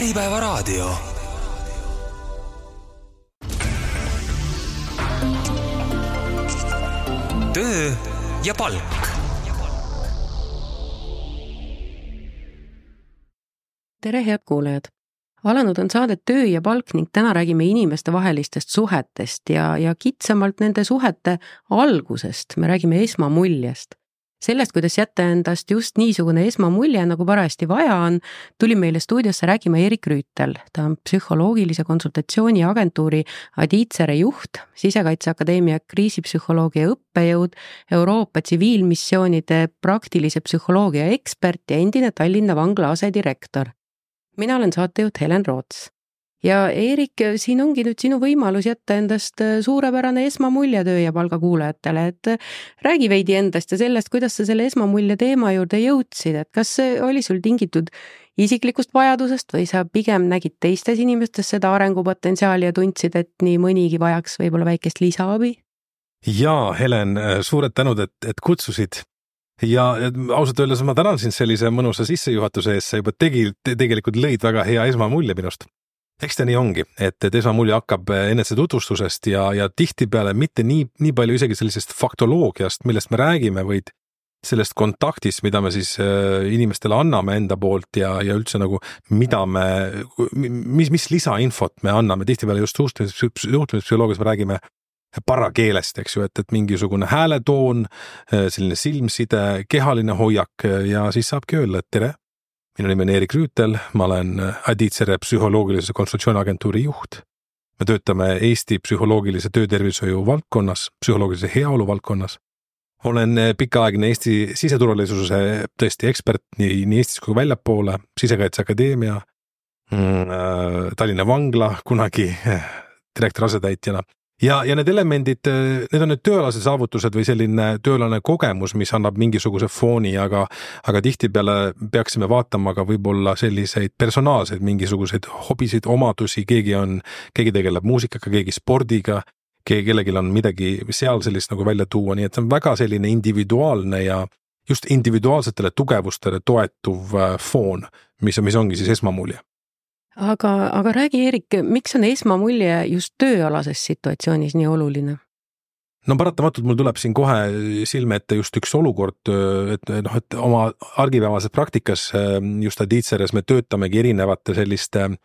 Äripäevaraadio. Töö ja palk. Tere, head kuulajad! Alanud on saade Töö ja palk ning täna räägime inimeste vahelistest suhetest ja kitsamalt nende suhete algusest. Me räägime esmamuljest. Sellest, kuidas jätta endast just niisugune esmamulje, nagu parajasti vaja on, tuli meile stuudiosse räägima Erik Rüütel. Ta on psühholoogilise konsultatsiooni agentuuri Aditsere juht, Sisekaitseakadeemia kriisipsühholoogia õppejõud, Euroopa tsiviilmissioonide praktilise psühholoogia ekspert ja endine Tallinna vangla asedirektor. Mina olen saatejuht Helen Roots. Ja Erik, siin ongi nüüd sinu võimalus jätta endast suurepärane esmamulje töö ja palga kuulajatele, et räägi veidi endast ja sellest, kuidas sa selle esmamulje teema juurde jõudsid, et kas see oli sul tingitud isiklikust vajadusest või sa pigem nägid teistes inimestes seda arengupotentsiaali ja tundsid, et nii mõnigi vajaks võib-olla väikest lisaabi? Jaa, Helen, suured tänud, et kutsusid. Ja ausalt öeldes ma tänan sind sellise mõnusa sissejuhatuse ees, sa juba tegelikult lõid väga hea esmamulje minust. Eks ta nii ongi, et esmamulje hakkab enese tutvustusest ja tihtipeale mitte nii palju isegi sellisest faktoloogiast, millest me räägime, vaid sellest kontaktist, mida me siis inimestele anname enda poolt ja üldse nagu, mis lisainfot me anname. Tihtipeale just suhtlemispsühholoogias me räägime parakeelest, eks ju, et mingisugune hääletoon, selline silmside, kehaline hoiak ja siis saabki öelda, et tere. Minu nimi on Erik Rüütel, ma olen Aditsere psühholoogilise konsultatsiooniagentuuri juht. Me töötame Eesti psühholoogilise töötervishoiu valdkonnas, psühholoogilise heaolu valdkonnas. Olen pikaaegne Eesti siseturvalisuse tõesti ekspert nii Eestis kui väljapoole, Sisekaitseakadeemia, Tallinna vangla kunagi direktori asetäitjana. Ja need elemendid, need on need tööalased saavutused või selline tööalane kogemus, mis annab mingisuguse fooni, aga tihtipeale peaksime vaatama ka võib-olla selliseid personaalseid mingisuguseid hobisid, omadusi, keegi tegeleb muusikaga, keegi spordiga, kellelgi on midagi seal sellist nagu välja tuua, nii et see on väga selline individuaalne ja just individuaalsetele tugevustele toetuv foon, mis ongi siis esmamulje. Aga räägi, Erik, miks on esmamulje just tööalases situatsioonis nii oluline? No paratamatult mul tuleb siin kohe silme ette just üks olukord, et oma argipäevases praktikas just Aditseres me töötamegi erinevate selliste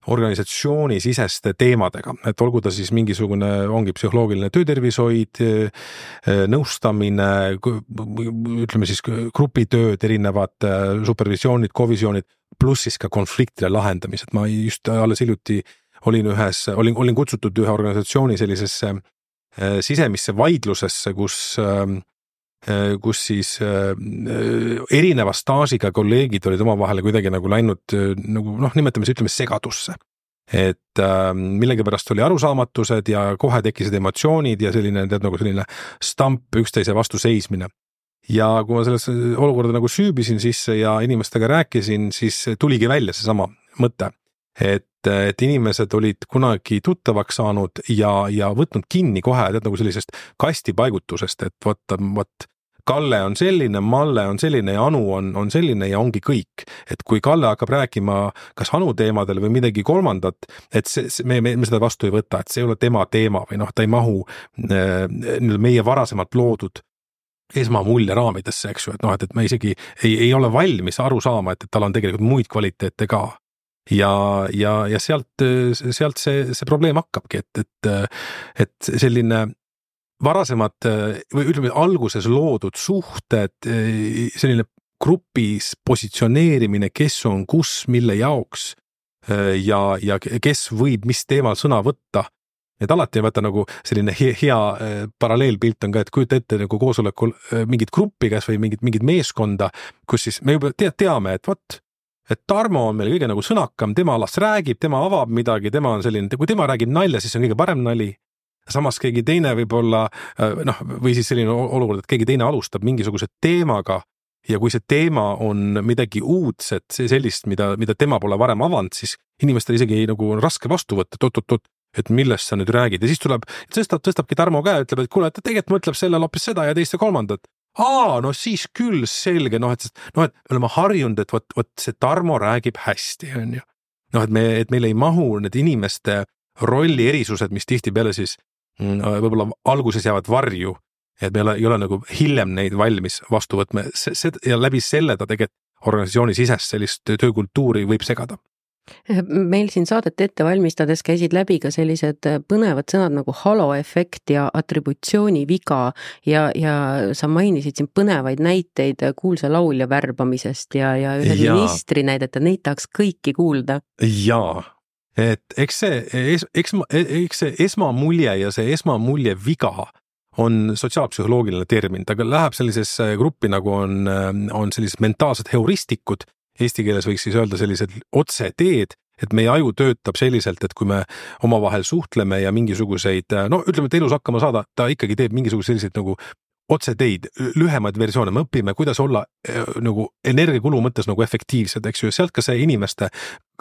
organisatsiooni-siseste teemadega, et olgu ta siis mingisugune, ongi psühholoogiline töötervishoid, nõustamine, ütleme siis grupitööd, erinevad supervisioonid, kovisioonid, pluss siis ka konfliktide lahendamised. Ma just alles hiljuti olin kutsutud ühe organisatsiooni sellisesse sisemisse vaidlusesse, kus siis erineva staažiga kolleegid olid omavahel kuidagi nagu läinud, ütleme segadusse. Et millegipärast oli arusaamatused ja kohe tekkisid emotsioonid ja selline stamp üksteise vastu seismine. Ja kui ma selles olukorda nagu süübisin sisse ja inimestega rääkisin, siis tuligi välja seesama mõte, et inimesed olid kunagi tuttavaks saanud ja võtnud kinni kohe nagu sellisest kastipaigutusest, et võt Kalle on selline, Malle on selline ja Anu on selline ja ongi kõik. Et kui Kalle hakkab rääkima kas Anu teemadel või midagi kolmandat, et me seda vastu ei võta, et see ei ole tema teema või ta ei mahu meie varasemalt loodud esmamulje raamidesse, eks ju, et me isegi ei ole valmis aru saama, et tal on tegelikult muid kvaliteete ka. Ja sealt see probleem hakkabki, et selline varasemad või ütleme alguses loodud suhted, selline grupis positsioneerimine, kes on kus, mille jaoks ja kes võib mis teemal sõna võtta. Et alati ei võtta nagu selline hea paralleelpilt on ka, et kujuta ette nagu koosolekul mingit gruppi käes või mingit meeskonda, kus siis me juba teame, et Tarmo on meil kõige nagu sõnakam, tema alast räägib, tema avab midagi, tema on selline, kui tema räägib nalja, siis on kõige parem nali. Samas keegi teine võib-olla, või siis selline olukord, et keegi teine alustab mingisuguse teemaga ja kui see teema on midagi uudset, sellist, mida tema pole varem avanud, siis inimestel isegi nagu on raske vastu võtta, et millest sa nüüd räägid. Ja siis tõstabki Tarmo käe, ütleb, et kuule, et tegelikult mõtleb selle hoopis seda ja teist ja kolmandat. No siis küll selge, et me oleme harjunud, et võt see Tarmo räägib hästi, on ju. et meil ei mahu need inimeste rolli erisused, mis tihtipeale siis võib-olla alguses jäävad varju, et meil ei ole nagu hiljem neid valmis vastu võtma ja läbi selle ta tegelikult organisatsiooni sisest sellist töökultuuri võib segada. Meil siin saadet ette valmistades käisid läbi ka sellised põnevad sõnad nagu haloefekt ja atributsiooniviga ja sa mainisid siin põnevaid näiteid kuulsa laulja värbamisest ja ühe ministri näidet, et neid tahaks kõiki kuulda. Jaa, et eks see esmamulje ja see esmamulje viga on sotsiaalpsühholoogiline termin, ta läheb sellisesse gruppi nagu on sellised mentaalsed heuristikud, eesti keeles võiks siis öelda sellised otseteed, et meie aju töötab selliselt, et kui me omavahel suhtleme ja mingisuguseid, ütleme, et elus hakkama saada, ta ikkagi teeb mingisugused sellised nagu otseteid, lühemaid versioone, me õpime, kuidas olla nagu energiakulu mõttes nagu efektiivsed, eks ju, sealt ka see inimeste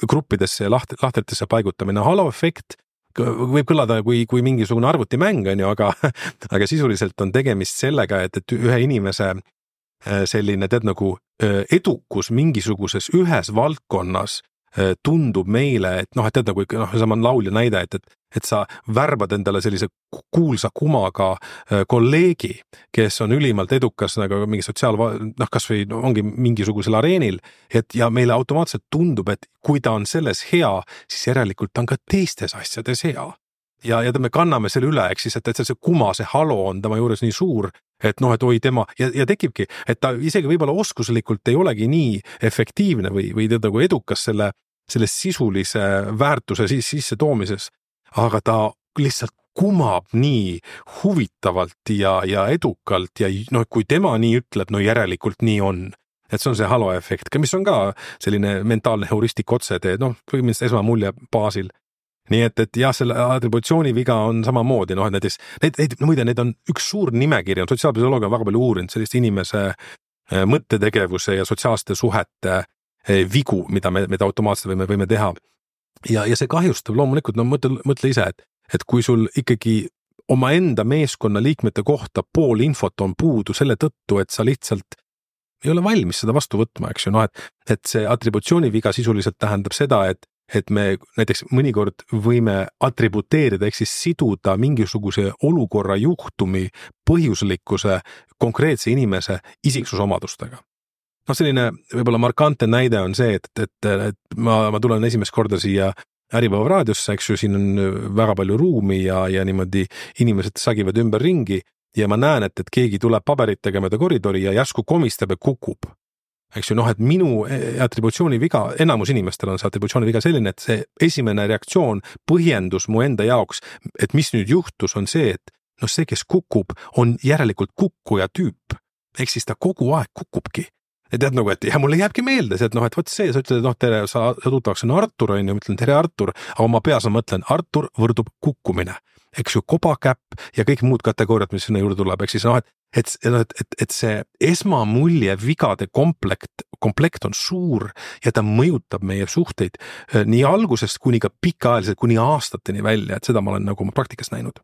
gruppidesse ja lahtritesse paigutamine, haloefekt võib kõlada kui mingisugune arvutimäng, on ju, aga sisuliselt on tegemist sellega, et ühe inimese selline nagu edukus mingisuguses ühes valdkonnas tundub meile, et nagu sama laulja näide, et sa värbad endale sellise kuulsa kumaga kolleegi, kes on ülimalt edukas nagu mingi kas või ongi mingisugusel areenil, ja meile automaatselt tundub, et kui ta on selles hea, siis järelikult ta on ka teistes asjades hea. Ja me kanname selle üle, eks siis, et see kuma, see halo on tema juures nii suur, et oi tema, ja tekibki, et ta isegi võib-olla oskuslikult ei olegi nii efektiivne või nagu edukas selle sisulise väärtuse sisse toomises, aga ta lihtsalt kumab nii huvitavalt ja edukalt ja kui tema nii ütleb, järelikult nii on. Et see on see haloefekt, mis on ka selline mentaalne heuristik otsetee, põhimõtteliselt esmamulje baasil. Nii et jah, selle atributsiooniviga on samamoodi, näiteks, need on üks suur nimekiri, sotsiaalpsühholoogia on väga palju uurinud sellist inimese mõttetegevuse ja sotsiaalsete suhete vigu, mida me automaatselt võime teha. Ja see kahjustab loomulikult, mõtle ise, et kui sul ikkagi omaenda meeskonna liikmete kohta pool infot on puudu selle tõttu, et sa lihtsalt ei ole valmis seda vastu võtma, eks ju, et see atributsiooniviga sisuliselt tähendab seda, et me näiteks mõnikord võime atributeerida, ehk siis siduda mingisuguse olukorra juhtumi põhjuslikkuse konkreetse inimese isiksusomadustega. Selline võib-olla markantne näide on see, et ma tulen esimest korda siia Äripäeva raadiosse, eks ju, siin on väga palju ruumi ja niimoodi inimesed sagivad ümber ringi ja ma näen, et keegi tuleb paberitega mööda koridori ja järsku komistab ja kukub. Eks ju, et minu atributsiooniviga, enamus inimestel on see atributsiooniviga selline, et see esimene reaktsioon, põhjendus mu enda jaoks, et mis nüüd juhtus, on see, et see, kes kukub, on järelikult kukkuja tüüp. Ehk siis ta kogu aeg kukubki. Ja tead et mulle jääbki meelde see, et võt see, sa ütled, tere, sa tuttavaks on Artur, on ju, mõtlen tere Artur, aga ma peas mõtlen, Artur võrdub kukkumine. Eks ju, kobakäpp ja kõik muud kategooriad, mis sinna juurde tuleb, eks siis et see esmamulje vigade komplekt on suur ja ta mõjutab meie suhteid nii algusest kuni ka pikaajaliselt, kuni aastateni välja, et seda ma olen nagu oma praktikas näinud.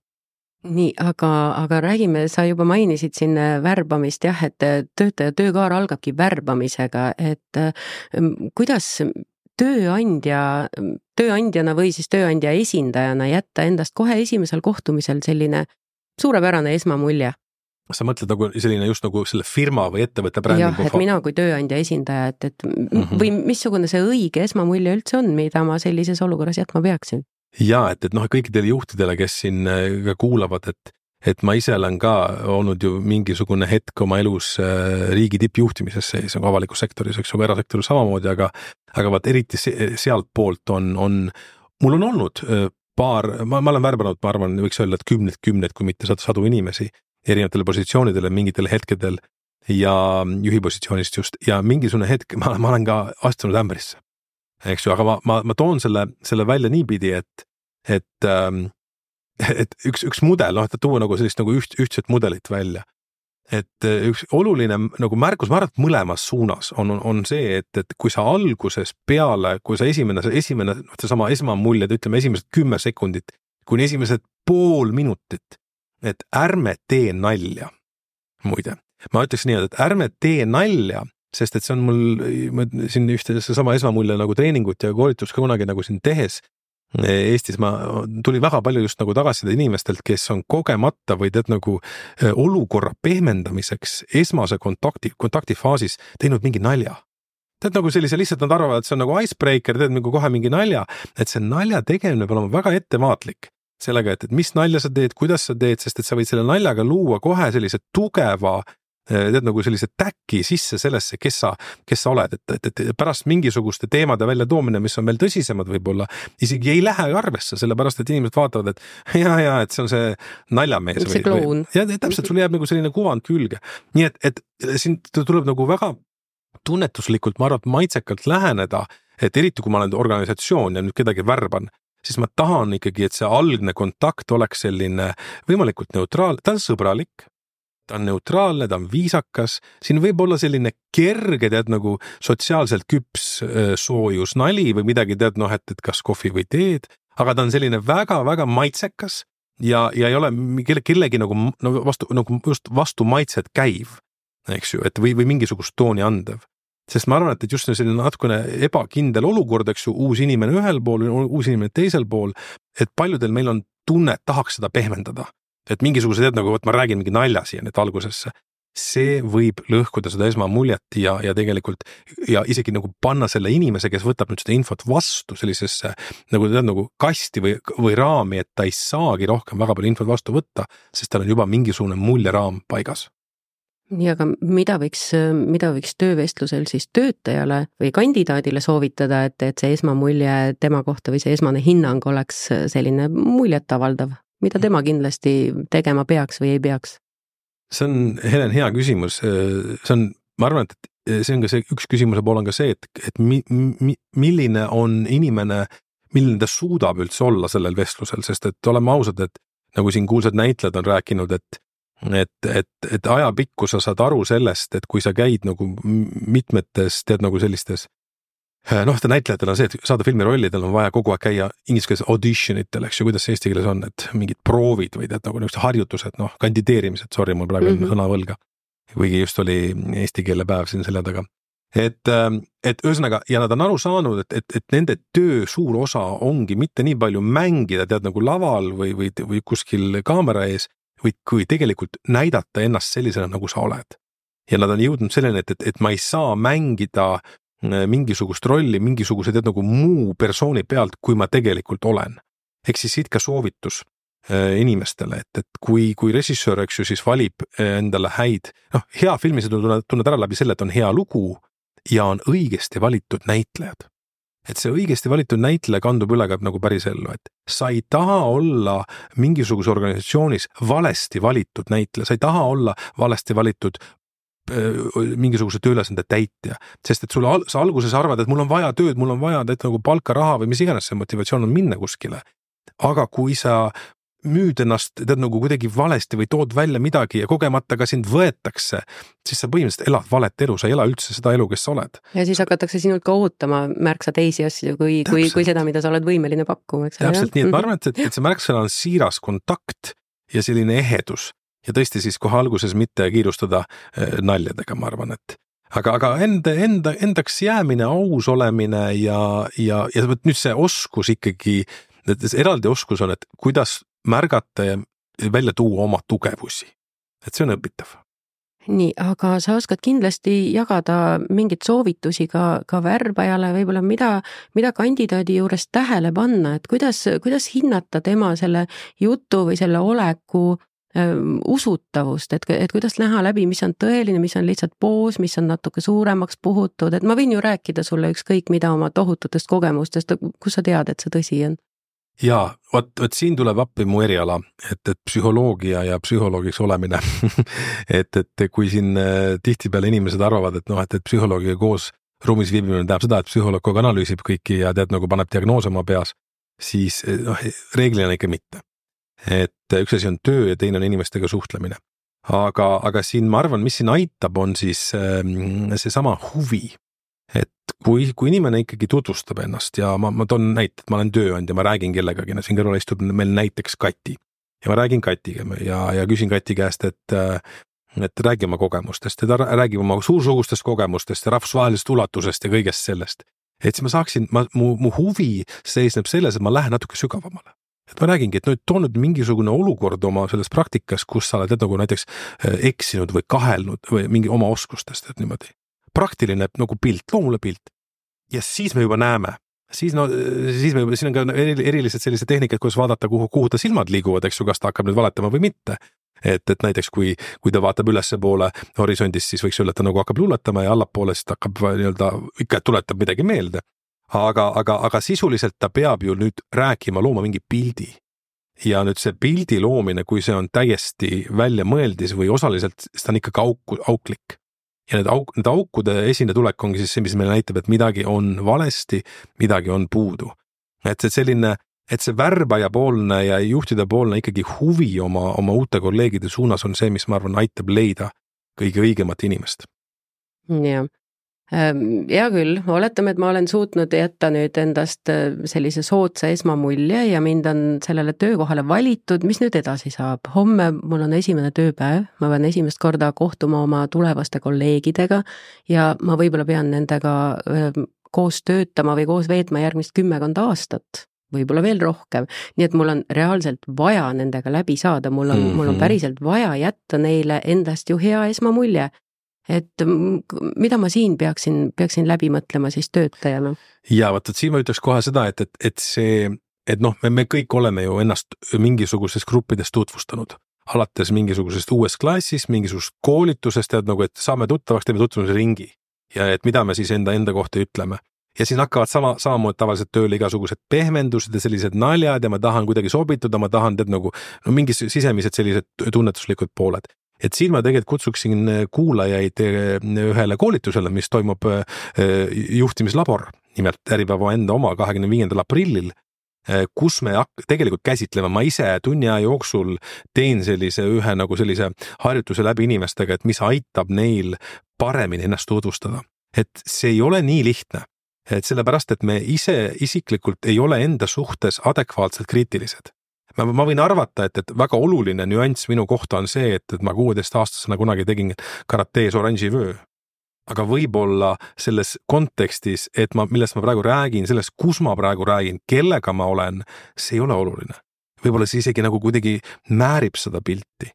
Nii, aga räägime, sa juba mainisid siin värbamist, jah, et töötaja töökaar algabki värbamisega, et kuidas tööandjana või siis tööandja esindajana jätta endast kohe esimesel kohtumisel selline suurepärane esmamulje? Sa mõtled nagu selline just nagu selle firma või ettevõtte brändingu? Jah, et mina kui tööandja esindaja, või missugune see õige esmamulje üldse on, mida ma sellises olukorras jätma peaksin? Ja, et kõikidele juhtidele, kes siin ka kuulavad, et ma ise olen ka olnud ju mingisugune hetk oma elus riigi tippjuhtimises sees, nagu avalikus sektoris, eks ju, erasektoris samamoodi, aga vaat eriti sealt poolt mul on olnud ma olen värbanud, ma arvan, võiks öelda, et kümneid, kui mitte sadu inimesi erinevatele positsioonidele mingitel hetkedel ja juhipositsioonist just, ja mingisugune hetk ma olen ka astunud ämbrisse. Eks ju, aga ma toon selle välja niipidi, et üks mudel, et tuua nagu sellist nagu ühtset mudelit välja. Et üks oluline nagu märkus, ma arvan, et mõlemas suunas on see, et kui sa alguses peale, kui sa esimene seesama esmamulje, ütleme esimesed 10 sekundit, kuni esimesed pool minutit, et ärme tee nalja. Muide, ma ütleks nii, et ärme tee nalja, sest et see on mul siin ühte sama esmamulje nagu treeningut ja koolitust ka kunagi nagu siin tehes Eestis tuli väga palju just nagu tagasiside inimestelt, kes on kogemata või tead nagu olukorra pehmendamiseks esmase kontaktifaasis teinud mingi nalja. Tead nagu sellise lihtsalt nad arvavad, et see on nagu icebreaker, teed nagu kohe mingi nalja, et see nalja tegemine peab olema väga ettevaatlik sellega, et mis nalja sa teed, kuidas sa teed, sest et sa võid selle naljaga luua kohe sellise tugeva tead nagu sellise täki sisse sellesse, kes sa oled, et pärast mingisuguste teemade välja toomine, mis on veel tõsisemad võib-olla, isegi ei lähe arvesse, sellepärast, et inimesed vaatavad, et ja, et see on see naljamees. See kloun. Ja täpselt, sul jääb nagu selline kuvand külge. Nii et siin tuleb nagu väga tunnetuslikult, ma arvan, maitsekalt läheneda, et eriti kui ma olen organisatsioon ja nüüd kedagi värban, siis ma tahan ikkagi, et see algne kontakt oleks selline võimalikult neutraal, ta on sõbralik, ta on neutraalne, ta on viisakas, siin võib olla selline kerge, tead nagu sotsiaalselt küps soojus nali või midagi, tead et kas kohvi või teed, aga ta on selline väga-väga maitsekas ja ei ole kellegi nagu vastu maitset käiv, eks ju, et või mingisugust tooni andev. Sest ma arvan, et just selline natukene ebakindel olukord, eks ju, uus inimene ühel pool, uus inimene teisel pool, et paljudel meil on tunne, et tahaks seda pehmendada. Et mingisugused, et nagu ma räägin mingi nalja siia nüüd algusesse, see võib lõhkuda seda esmamuljet ja tegelikult ja isegi nagu panna selle inimese, kes võtab nüüd seda infot vastu sellisesse nagu kasti või raami, et ta ei saagi rohkem väga palju infot vastu võtta, sest tal on juba mingisugune muljeraam paigas. Nii, aga mida võiks töövestlusel siis töötajale või kandidaadile soovitada, et see esmamulje tema kohta või see esmane hinnang oleks selline muljetavaldav? Mida tema kindlasti tegema peaks või ei peaks? See on, Helen, hea küsimus. Ma arvan, et see on ka see, üks küsimuse pool on ka see, et milline on inimene, milline ta suudab üldse olla sellel vestlusel, sest et oleme ausad, et nagu siin kuulsad näitlejad on rääkinud, et ajapikku sa saad aru sellest, et kui sa käid nagu mitmetes, tead nagu sellistes ta näitlejatel on see, et saada filmirollidel on vaja kogu aeg käia ingliskeelse auditionitel, eks ju, kuidas see eesti keeles on, et mingid proovid või tead nagu niisugused harjutused, kandideerimised, sorry, mul praegu sõna võlga, kuigi just oli eesti keele päev siin selle taga. Et ühesõnaga, ja nad on aru saanud, et nende töö suur osa ongi mitte nii palju mängida, tead nagu laval või kuskil kaamera ees, või kui tegelikult näidata ennast sellisena, nagu sa oled. Ja nad on jõudnud selleni, et ma ei saa mängida mingisugust rolli, mingisuguse tead nagu muu persooni pealt, kui ma tegelikult olen. Ehk siis siit ka soovitus inimestele, et kui režissöör, eks ju, siis valib endale häid, hea filmi sa tunned ära läbi selle, et on hea lugu ja on õigesti valitud näitlejad. Et see õigesti valitud näitleja kandub üle ka nagu päris ellu, et sa ei taha olla mingisuguse organisatsioonis valesti valitud näitleja, sa ei taha olla valesti valitud mingisuguse tööülesande täitja, sest et sa alguses arvad, et mul on vaja tööd, mul on vaja nagu palka, raha või mis iganes see motivatsioon on minna kuskile. Aga kui sa müüd ennast tead nagu kuidagi valesti või tood välja midagi ja kogemata ka sind võetakse, siis sa põhimõtteliselt elad valet elu, sa ei ela üldse seda elu, kes sa oled. Ja siis hakatakse sinult ka ootama märksa teisi asju kui seda, mida sa oled võimeline pakkuma. Täpselt nii, et ma arvan, et see märksõna on siiras kontakt ja selline ehedus. Ja tõesti siis kohe alguses mitte kiirustada naljadega, ma arvan, et aga endaks jäämine, aus olemine ja nüüd see oskus ikkagi, eraldi oskus on, et kuidas märgata ja välja tuua oma tugevusi. Et see on õpitav. Nii, aga sa oskad kindlasti jagada mingit soovitusi ka värbajale, võib-olla mida kandidaadi juures tähele panna, et kuidas hinnata tema selle jutu või selle oleku usutavust, et kuidas näha läbi, mis on tõeline, mis on lihtsalt poos, mis on natuke suuremaks puhutud, et ma võin ju rääkida sulle ükskõik mida oma tohututest kogemustest, kus sa tead, et see tõsi on? Jaa, võt siin tuleb appi mu eriala, et psühholoogia ja psühholoogiks olemine et kui siin tihtipeale inimesed arvavad, et psühholoogiga koos ruumis viibimine tähendab seda, et psühholoog kogu analüüsib kõiki ja tead nagu paneb diagnoose oma peas, siis reeglina ikka mitte. Et üks asi on töö ja teine on inimestega suhtlemine. Aga siin ma arvan, mis siin aitab, on siis see sama huvi. Et kui inimene ikkagi tutvustab ennast ja ma toon näite, et ma olen tööandja, ma räägin kellegagi, siin kõrval istub meil näiteks Kati ja ma räägin Katiga ja küsin Kati käest, et räägi oma kogemustest ja räägi oma suursugustest kogemustest ja rahvusvahelisest ulatusest ja kõigest sellest. Et siis ma saaksin, mu huvi seisneb selles, et ma lähen natuke sügavamale. Et ma räägingi, et nüüd toonud mingisugune olukord oma selles praktikas, kus sa oled nagu näiteks eksinud või kahelnud või mingi oma oskustest, et niimoodi. Praktiline nagu pilt, loomule pilt. Ja siis me juba näeme. Siin on ka erilised sellised tehnikad, kuidas vaadata, kuhu ta silmad liiguvad, eks ju, kas ta hakkab nüüd valetama või mitte. Et näiteks kui ta vaatab ülesse poole horisondist, siis võiks öelda, et ta nagu hakkab luuletama ja allapoole siis ta hakkab ikka tuletab midagi meelde. Aga sisuliselt ta peab ju nüüd rääkima, looma mingi pildi. Ja nüüd see pildi loomine, kui see on täiesti välja mõeldis või osaliselt, siis ta on ikkagi auklik. Ja need aukude esinetulek ongi siis see, mis meile näitab, et midagi on valesti, midagi on puudu. Et see värbaja poolne ja juhtida poolne ikkagi huvi oma uute kolleegide suunas on see, mis ma arvan aitab leida kõige õigemat inimest. Jah. Hea küll, oletame, et ma olen suutnud jätta nüüd endast sellise soodsa esmamulje ja mind on sellele töökohale valitud, mis nüüd edasi saab? Homme mul on esimene tööpäev, ma pean esimest korda kohtuma oma tulevaste kolleegidega ja ma võib-olla pean nendega koos töötama või koos veetma järgmist 10 aastat, võib-olla veel rohkem. Nii et mul on reaalselt vaja nendega läbi saada, mul on päriselt vaja jätta neile endast ju hea esmamulje. Et mida ma siin peaksin läbi mõtlema siis töötajana? Ja vaata, siin ma ütleks kohe seda, et me kõik oleme ju ennast mingisugusest gruppidest tutvustanud. Alates mingisugusest uuest klassist, mingisugusest koolitusest, et saame tuttavaks, teeme tutvumise ringi. Ja et mida me siis enda kohta ütleme. Ja siis hakkavad samamoodi tavaliselt tööle igasugused pehmendused ja sellised naljad ja ma tahan kuidagi sobituda, ma tahan mingi sisemised sellised tunnetuslikud pooled. Et siin ma tegelikult kutsuksin kuulajaid ühele koolitusele, mis toimub juhtimislabor, nimelt Äripäeva enda oma 25. aprillil, kus me tegelikult käsitleme, ma ise tunni aja jooksul teen sellise harjutuse läbi inimestega, et mis aitab neil paremini ennast tutvustada. Et see ei ole nii lihtne, et sellepärast, et me isiklikult ei ole enda suhtes adekvaatselt kriitilised. Ma võin arvata, et väga oluline nüanss minu kohta on see, et ma 16-aastasena kunagi tegin karatees oranži vöö. Aga võib-olla selles kontekstis, millest ma praegu räägin, selles, kus ma praegu räägin, kellega ma olen, see ei ole oluline. Võib-olla see isegi kuidagi määrib seda pilti.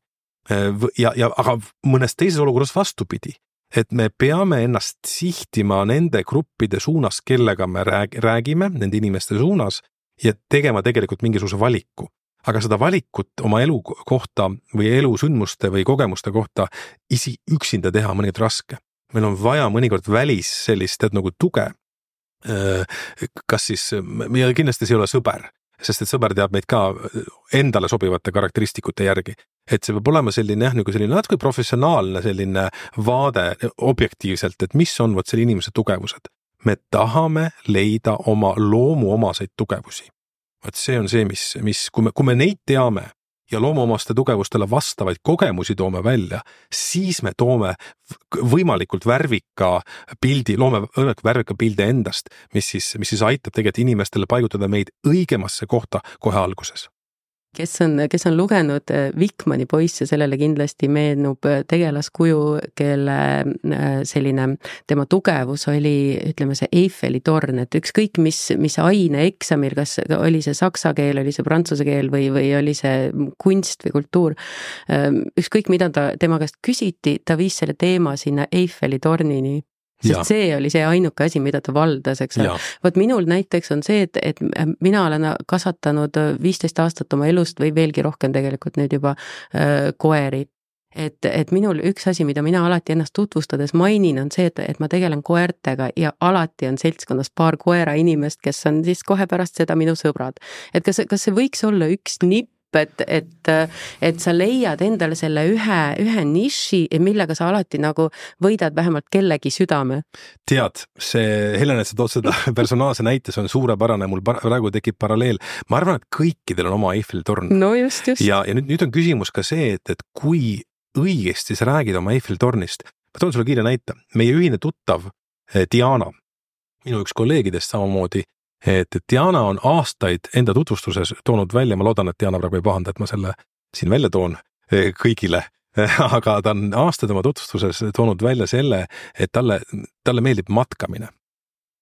Aga mõnes teises olukorras vastupidi. Et me peame ennast sihtima nende gruppide suunas, kellega me räägime, nende inimeste suunas ja tegema tegelikult mingisuguse valiku. Aga seda valikut oma elu kohta või elusündmuste või kogemuste kohta üksinda teha mõnikord raske. Meil on vaja mõnikord välis sellist tuge. Kas siis, ja kindlasti see ei ole sõber, sest et sõber teab meid ka endale sobivate karakteristikute järgi. Et see peab olema selline natuke professionaalne selline vaade objektiivselt, et mis on selle inimese tugevused. Me tahame leida oma loomuomaseid tugevusi. Et see on see, mis kui me neid teame ja loomuomaste tugevustele vastavaid kogemusi toome välja, siis me toome võimalikult värvika pildi endast, mis siis aitab tegelikult inimestele paigutada meid õigemasse kohta kohe alguses. Kes on lugenud Vikmani poisse, sellele kindlasti meenub tegelaskuju, kelle tema tugevus oli, ütleme, see Eiffeli torn, et ükskõik mis aine eksamil, kas oli see saksa keel, oli see prantsuse keel või oli see kunst või kultuur, ükskõik mida tema käest küsiti, ta viis selle teema sinna Eiffeli tornini. Sest see oli see ainuke asi, mida ta valdas, eks. Vot minul näiteks on see, et mina olen kasvatanud 15 aastat oma elust või veelgi rohkem tegelikult nüüd juba koeri. Et minul üks asi, mida mina alati ennast tutvustades mainin, on see, et ma tegelen koertega ja alati on seltskonnas paar koera inimest, kes on siis kohe pärast seda minu sõbrad. Et kas see võiks olla üks nipp, et sa leiad endale selle ühe niši, millega sa alati võidad vähemalt kellegi südame. Tead, see Helen, et sa tood seda personaalse näite, see on suurepärane, mul praegu tekib paralleel. Ma arvan, et kõikidel on oma Eiffeli torn. No just. Ja nüüd on küsimus ka see, et kui õigesti sa räägid oma Eiffeli tornist. Ma toon sulle kiire näite. Meie ühine tuttav Diana, minu üks kolleegidest samamoodi, et Diana on aastaid enda tutvustuses toonud välja, ma loodan, et Diana praegu ei pahanda, et ma selle siin välja toon kõigile, aga ta on aastaid oma tutvustuses toonud välja selle, et talle meeldib matkamine.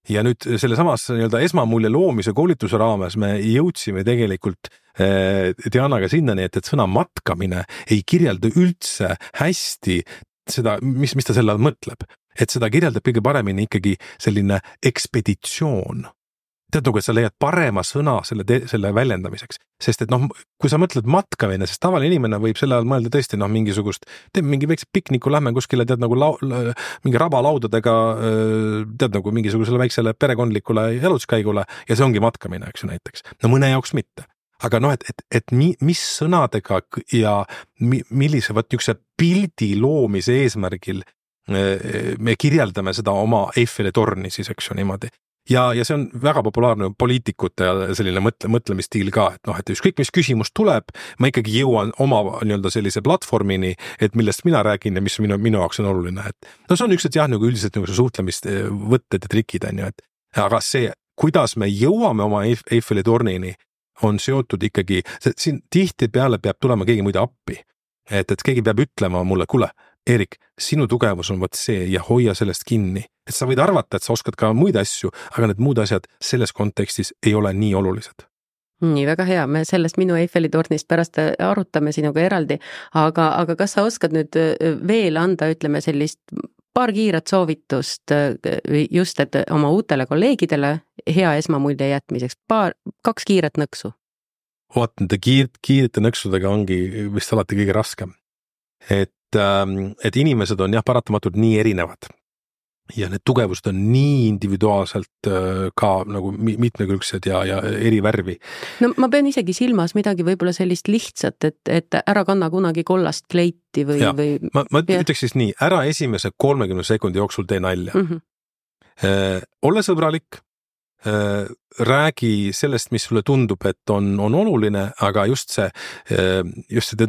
Ja nüüd selle samas nii-öelda esmamulje loomise koolituse raames me jõudsime tegelikult Dianaga sinnani, et sõna matkamine ei kirjelda üldse hästi seda, mis ta selle all mõtleb. Et seda kirjeldab kõige paremini ikkagi selline ekspeditsioon. Tead nagu, et sa leiad parema sõna selle väljendamiseks. Sest et kui sa mõtled matkamine, sest tavaline inimene võib selle all mõelda tõesti mingisugust, teeb mingi väikse pikniku, lähme kuskile tead nagu mingi rabalaudadega tead nagu mingisugusele väiksele perekondlikule jalutuskäigule ja see ongi matkamine, eks ju näiteks. No mõne jaoks mitte. Aga et mis sõnadega ja millise niisuguse pildi loomise eesmärgil me kirjeldame seda oma Eiffeli torni siis, eks ju niimoodi. Ja see on väga populaarne poliitikute selline mõtlemistiil ka, et ükskõik mis küsimus tuleb, ma ikkagi jõuan oma nii-öelda sellise platvormini, et millest mina räägin ja mis minu jaoks on oluline. See on üks, et jah, nagu üldiselt nagu suhtlemist võtted ja trikid on ju, aga see, kuidas me jõuame oma Eiffeli tornini, on seotud ikkagi, siin tihti peale peab tulema keegi muide appi, et keegi peab ütlema mulle, kuule, Erik, sinu tugevus on võt see ja hoia sellest kinni. Et sa võid arvata, et sa oskad ka muid asju, aga need muud asjad selles kontekstis ei ole nii olulised. Nii, väga hea. Me sellest minu Eiffeli tornist pärast arutame sinuga eraldi, aga kas sa oskad nüüd veel anda, ütleme sellist paar kiiret soovitust just, et oma uutele kolleegidele hea esmamulje jätmiseks, kaks kiiret nõksu? Nende kiirete nõksudega ongi vist alati kõige raskem. Et inimesed on jah paratamatult nii erinevad ja need tugevused on nii individuaalselt ka nagu mitmekülgsed ja eri värvi. No ma pean isegi silmas midagi võib-olla sellist lihtsat, et ära kanna kunagi kollast kleiti või... Ma ütleks siis nii, ära esimese 30 sekundi jooksul tee nalja. Ole sõbralik, räägi sellest, mis sulle tundub, et on oluline, aga just see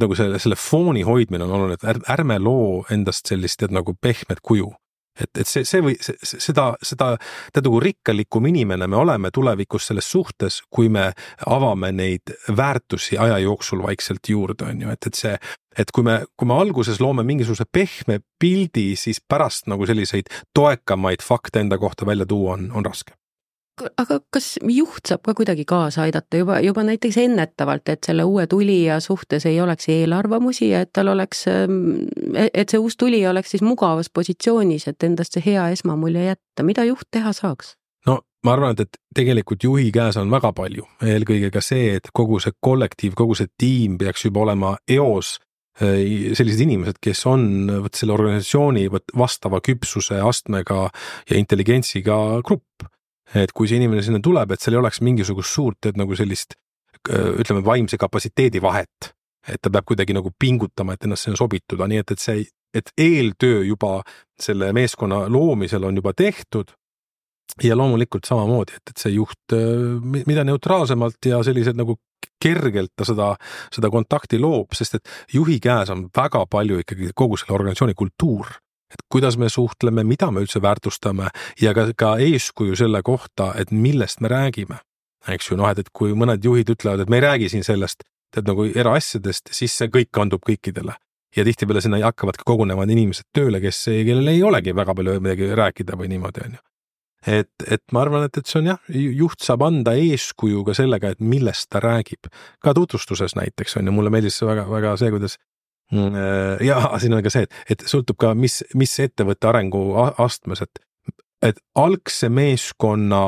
nagu selle fooni hoidmine on oluline, et ärme loo endast sellist nagu pehmet kuju. Et seda nagu rikkalikum inimene me oleme tulevikus selles suhtes, kui me avame neid väärtusi aja jooksul vaikselt juurde, on ju, et kui me alguses loome mingisuguse pehme pildi, siis pärast nagu selliseid toekamaid fakte enda kohta välja tuua on raske. Aga kas juht saab ka kuidagi kaasa aidata juba näiteks ennetavalt, et selle uue tulija suhtes ei oleks eelarvamusi ja et tal oleks, et see uus tulija oleks siis mugavas positsioonis, et endast see hea esmamulje jätta? Mida juht teha saaks? No ma arvan, et tegelikult juhi käes on väga palju. Eelkõige ka see, et kogu see kollektiiv, kogu see tiim peaks juba olema eos sellised inimesed, kes on selle organisatsiooni vastava küpsuse astmega ja intelligentsiga grupp. Et kui see inimene sinna tuleb, et seal ei oleks mingisugust suurt, et nagu sellist, ütleme, vaimse kapatsiteedi vahet, et ta peab kuidagi nagu pingutama, et ennast sinna sobituda, nii et eeltöö juba selle meeskonna loomisel on juba tehtud ja loomulikult samamoodi, et see juht, mida neutraalsemalt ja sellised nagu kergelt ta seda kontakti loob, sest et juhi käes on väga palju ikkagi kogu selle organisatsiooni kultuur. Et kuidas me suhtleme, mida me üldse väärtustame ja ka eeskuju selle kohta, et millest me räägime. Eks ju, et kui mõned juhid ütlevad, et me ei räägi siin sellest, et nagu eraasjadest, siis see kõik kandub kõikidele. Ja tihtipeale sinna hakkavad ka kogunevad inimesed tööle, kellel ei olegi väga palju midagi rääkida või niimoodi, on ju. Et ma arvan, et see on jah, juht saab anda eeskuju ka sellega, et millest ta räägib. Ka tutvustuses näiteks on ja mulle meeldis väga, väga see, kuidas ja siin on ka see, et sõltub ka, mis ettevõtte arengu astmes, et algse meeskonna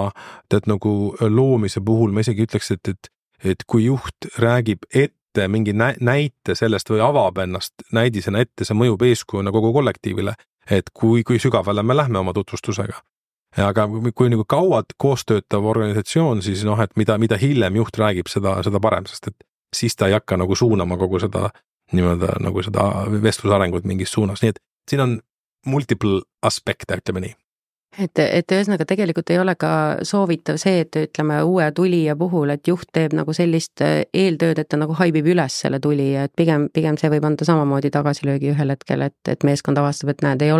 nagu loomise puhul ma isegi ütleks, et kui juht räägib ette mingi näite sellest või avab ennast näidisena ette, see mõjub eeskujuna kogu kollektiivile, et kui sügavale me lähme oma tutvustusega. Aga kui nagu kauad koostöötav organisatsioon, siis et mida hiljem juht räägib, seda parem, sest et siis ta ei hakka nagu suunama kogu seda niimoodi nagu seda vestlusarengut mingis suunas, nii et siin on multiple aspekte, ütleme nii. Et ühesõnaga tegelikult ei ole ka soovitav see, et ütleme uue tulija puhul, et juht teeb nagu sellist eeltööd, et ta nagu haibib üles selle tulija, et pigem see võib anda samamoodi tagasilöögi ühel hetkel, et meeskond avastab, et näed, ei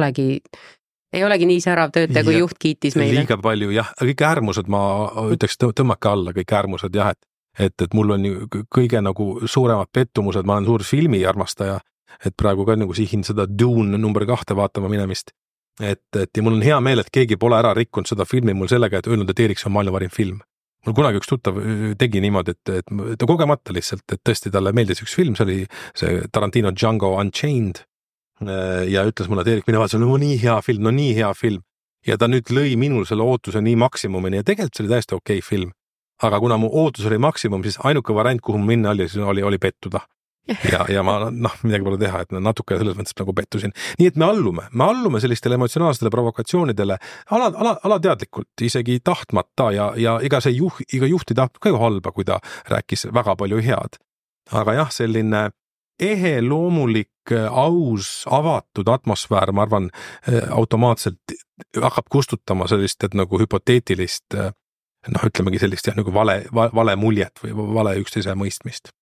olegi nii särav töötaja, kui juht kiitis meile. Liiga palju, jah, kõik äärmused ma ütleks tõmmake alla, kõik äärmused, jah, et mul on kõige nagu suuremad pettumused, ma olen suur filmiarmastaja et praegu ka nagu sihin seda Dune number 2 vaatama minemist. Ja mul on hea meel, et keegi pole ära rikkunud seda filmi mul sellega, et öelnud, et Eeriks on maailma parim film. Mul kunagi üks tuttav tegi niimoodi, et ta kogemata lihtsalt, et tõesti talle meeldis üks film, see oli see Tarantino Django Unchained ja ütles mulle, et Eerik, mine vaata, see on nii hea film. Ja ta nüüd lõi minul selle ootuse nii maksimumini ja tegelikult see oli täiesti okei film. Aga kuna mu ootus oli maksimum, siis ainuke variant, kuhu minna oli pettuda. Ja ma midagi pole teha, et natuke selles mõttes nagu pettusin. Nii et me allume sellistele emotsionaalsetele provokatsioonidele alateadlikult, isegi tahtmata ja iga juht ei tahtnud ka ju halba, kui ta rääkis väga palju head. Aga jah, selline ehe, loomulik, aus, avatud atmosfäär, ma arvan, automaatselt hakkab kustutama sellist, et nagu hüpoteetilist, ütlemegi sellist nagu vale muljet või vale üksteise mõistmist.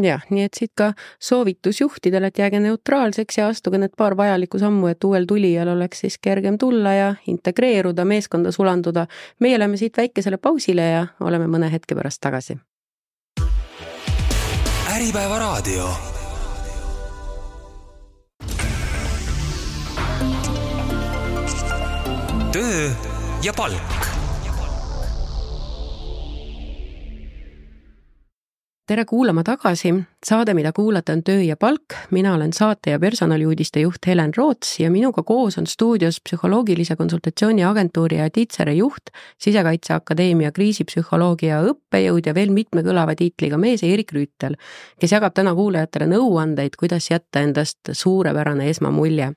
Jah, nii et siit ka soovitus juhtidele, et jääge neutraalseks ja astuge need paar vajalikku sammu, et uuel tulijal oleks siis kergem tulla ja integreeruda, meeskonda sulanduda. Meie oleme siit väikesele pausile ja oleme mõne hetke pärast tagasi. Äripäeva raadio. Töö ja palk. Tere kuulama tagasi. Saade, mida kuulata, on Töö ja palk. Mina olen saate ja personaliuudiste juht Helen Roots ja minuga koos on stuudios psühholoogilise konsultatsiooni agentuuri ja Titsere juht, Sisekaitseakadeemia kriisipsühholoogia õppejõud ja veel mitme kõlava tiitliga mees Eerik Rüütel, kes jagab täna kuulajatele nõuandeid, kuidas jätta endast suurepärane esmamulje.